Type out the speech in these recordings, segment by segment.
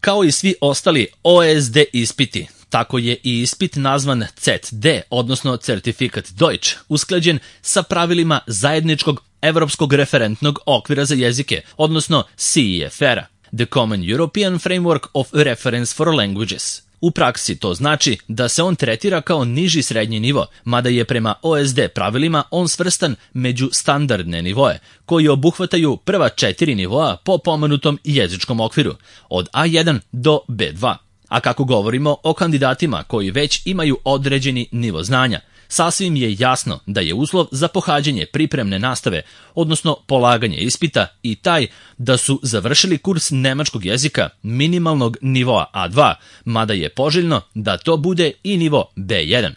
Kao i svi ostali OSD ispiti, tako je i ispit nazvan CET-D, odnosno Certifikat Deutsch, usklađen sa pravilima zajedničkog Evropskog referentnog okvira za jezike, odnosno CEFR-a, The Common European Framework of Reference for Languages. U praksi to znači da se on tretira kao niži srednji nivo, mada je prema OSD pravilima on svrstan među standardne nivoe, koji obuhvataju prva 4 nivoa po pomenutom jezičkom okviru, od A1 do B2. A kako govorimo o kandidatima koji već imaju određeni nivo znanja, sasvim je jasno da je uslov za pohađanje pripremne nastave, odnosno polaganje ispita, i taj da su završili kurs nemačkog jezika minimalnog nivoa A2, mada je poželjno da to bude i nivo B1.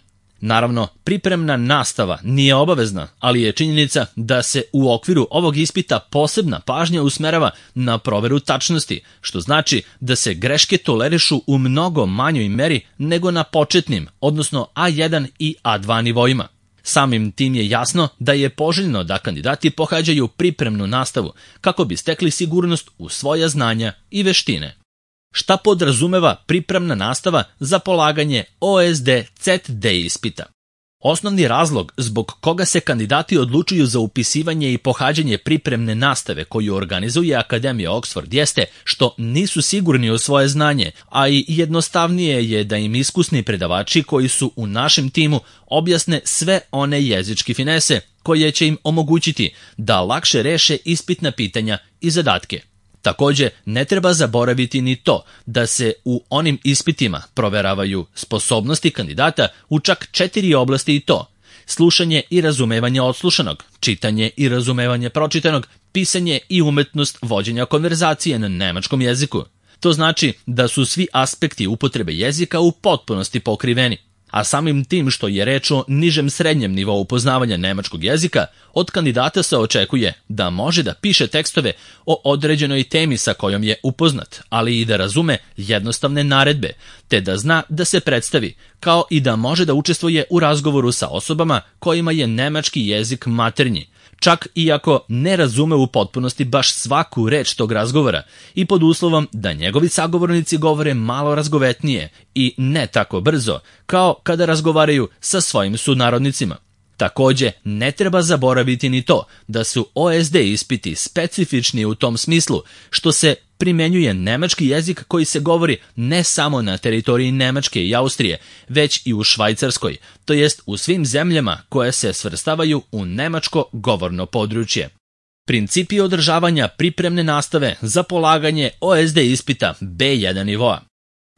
Naravno, pripremna nastava nije obavezna, ali je činjenica da se u okviru ovog ispita posebna pažnja usmerava na proveru tačnosti, što znači da se greške tolerišu u mnogo manjoj meri nego na početnim, odnosno A1 i A2 nivoima. Samim tim je jasno da je poželjno da kandidati pohađaju pripremnu nastavu kako bi stekli sigurnost u svoja znanja i veštine. Šta podrazumeva pripremna nastava za polaganje OSD CET-D ispita? Osnovni razlog zbog koga se kandidati odlučuju za upisivanje i pohađanje pripremne nastave koju organizuje Akademija Oxford jeste što nisu sigurni u svoje znanje, a i jednostavnije je da im iskusni predavači koji su u našem timu objasne sve one jezičke finese koje će im omogućiti da lakše reše ispitna pitanja i zadatke. Također, ne treba zaboraviti ni to da se u onim ispitima proveravaju sposobnosti kandidata u čak 4 oblasti, i to: slušanje i razumevanje odslušanog, čitanje i razumevanje pročitanog, pisanje i umetnost vođenja konverzacije na nemačkom jeziku. To znači da su svi aspekti upotrebe jezika u potpunosti pokriveni. A samim tim što je reč o nižem srednjem nivou poznavanja nemačkog jezika, od kandidata se očekuje da može da piše tekstove o određenoj temi sa kojom je upoznat, ali i da razume jednostavne naredbe, te da zna da se predstavi, kao i da može da učestvuje u razgovoru sa osobama kojima je nemački jezik maternji, čak i ako ne razume u potpunosti baš svaku reč tog razgovora, i pod uslovom da njegovi sagovornici govore malo razgovetnije i ne tako brzo, kao kada razgovaraju sa svojim sunarodnicima. Također, ne treba zaboraviti ni to da su OSD ispiti specifični u tom smislu što se primenjuje nemački jezik koji se govori ne samo na teritoriji Nemačke i Austrije, već i u Švajcarskoj, to jest u svim zemljama koje se svrstavaju u nemačko govorno područje. Principi održavanja pripremne nastave za polaganje OSD ispita B1 nivoa.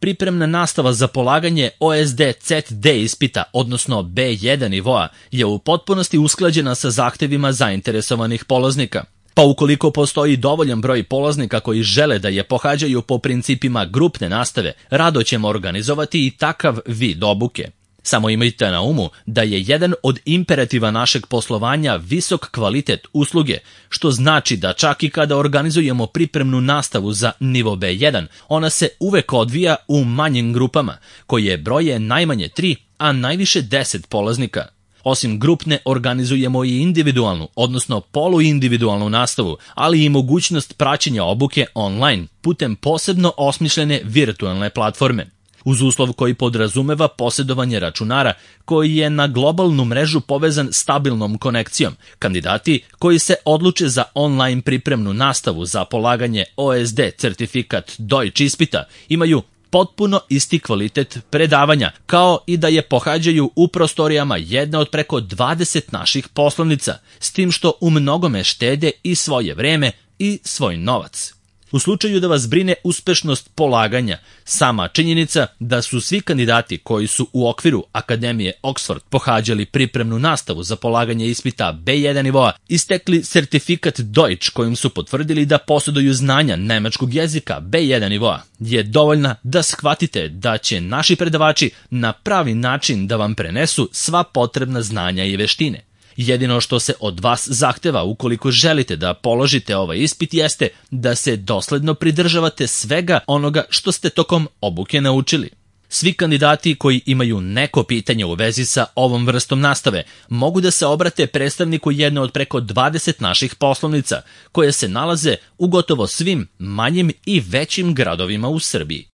Pripremna nastava za polaganje OSD CET-D ispita, odnosno B1 nivoa, je u potpunosti usklađena sa zahtevima zainteresovanih polaznika. Pa ukoliko postoji dovoljan broj polaznika koji žele da je pohađaju po principima grupne nastave, rado ćemo organizovati i takav vid obuke. Samo imajte na umu da je jedan od imperativa našeg poslovanja visok kvalitet usluge, što znači da čak i kada organizujemo pripremnu nastavu za nivo B1, ona se uvek odvija u manjim grupama, koje broje najmanje 3, a najviše 10 polaznika. Osim grupne, organizujemo i individualnu, odnosno poluindividualnu nastavu, ali i mogućnost praćenja obuke online putem posebno osmišljene virtualne platforme. Uz uslov koji podrazumeva posjedovanje računara koji je na globalnu mrežu povezan stabilnom konekcijom, kandidati koji se odluče za online pripremnu nastavu za polaganje OSD certifikat Deutsch ispita imaju potpuno isti kvalitet predavanja, kao i da je pohađaju u prostorijama jedne od preko 20 naših poslovnica, s tim što u mnogome štede i svoje vreme i svoj novac. U slučaju da vas brine uspešnost polaganja, sama činjenica da su svi kandidati koji su u okviru Akademije Oxford pohađali pripremnu nastavu za polaganje ispita B1 nivoa istekli sertifikat Deutsch kojim su potvrdili da posjeduju znanja nemačkog jezika B1 nivoa, je dovoljna da shvatite da će naši predavači na pravi način da vam prenesu sva potrebna znanja i veštine. Jedino što se od vas zahteva ukoliko želite da položite ovaj ispit jeste da se dosledno pridržavate svega onoga što ste tokom obuke naučili. Svi kandidati koji imaju neko pitanje u vezi sa ovom vrstom nastave mogu da se obrate predstavniku jedne od preko 20 naših poslovnica, koje se nalaze u gotovo svim manjim i većim gradovima u Srbiji.